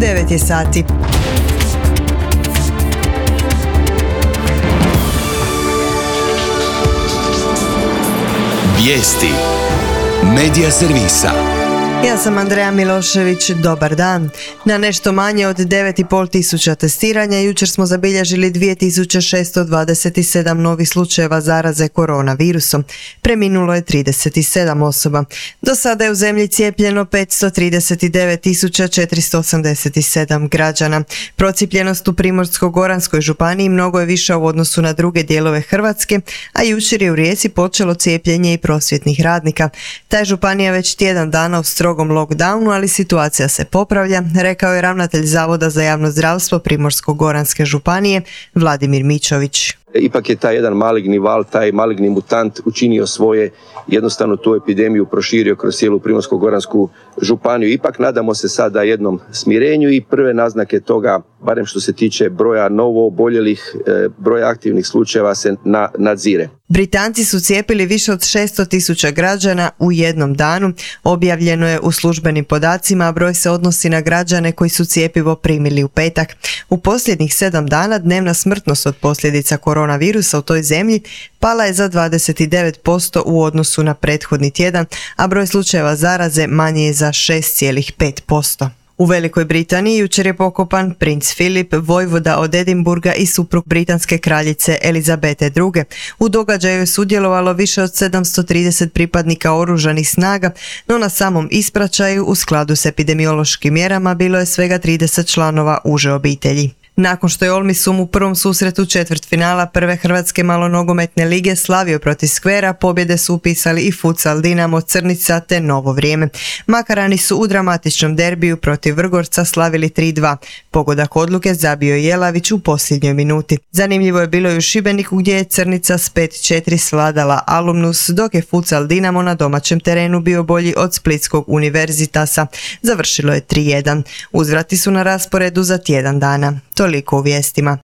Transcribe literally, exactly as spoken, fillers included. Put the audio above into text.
devet je sati. Vijesti Medija servisa. Ja sam Andreja Milošević, dobar dan. Na nešto manje od devet i pol tisuća testiranja jučer smo zabilježili dvije tisuće šesto dvadeset sedam novih slučajeva zaraze koronavirusom. Preminulo je trideset sedam osoba. Do sada je u zemlji cijepljeno petsto trideset devet tisuća četiristo osamdeset sedam građana. Procijepljenost u Primorsko-goranskoj županiji mnogo je viša u odnosu na druge dijelove Hrvatske, a jučer je u Rijeci počelo cijepljenje i prosvjetnih radnika. Ta je županija već tjedan dana u strogom lockdownu, ali situacija se popravlja, rekao je ravnatelj Zavoda za javno zdravstvo Primorsko-goranske županije Vladimir Mičović. Ipak je taj jedan maligni val, taj maligni mutant učinio svoje, jednostavno tu epidemiju proširio kroz cijelu Primorsko-goransku županiju. Ipak nadamo se sada jednom smirenju i prve naznake toga, barem što se tiče broja novo oboljelih, broja aktivnih slučajeva se na, nadzire. Britanci su cijepili više od šesto tisuća građana u jednom danu. Objavljeno je u službenim podacima, a broj se odnosi na građane koji su cjepivo primili u petak. U posljednjih sedam dana dnevna smrtnost od posljedica koronavirusa u toj zemlji pala je za dvadeset devet posto u odnosu na prethodni tjedan, a broj slučajeva zaraze manji je za šest zarez pet posto. U Velikoj Britaniji jučer je pokopan princ Filip, vojvoda od Edinburga i suprug britanske kraljice Elizabete druge. U događaju je sudjelovalo više od sedamsto trideset pripadnika oružanih snaga, no na samom ispraćaju u skladu s epidemiološkim mjerama bilo je svega trideset članova uže obitelji. Nakon što je Olmisum u prvom susretu četvrtfinala prve hrvatske malonogometne lige slavio protiv Skvera, pobjede su upisali i futsal Dinamo Crnica te Novo Vrijeme. Makarani su u dramatičnom derbiju protiv Vrgorca slavili tri dva. Pogodak odluke zabio je Jelavić u posljednjoj minuti. Zanimljivo je bilo i u Šibeniku gdje je Crnica s pet četiri svladala Alumnus, dok je futsal Dinamo na domaćem terenu bio bolji od Splitskog Univerzitasa. Završilo je tri jedan. Uzvrati su na rasporedu za tjedan dana. Toliko u vijestima.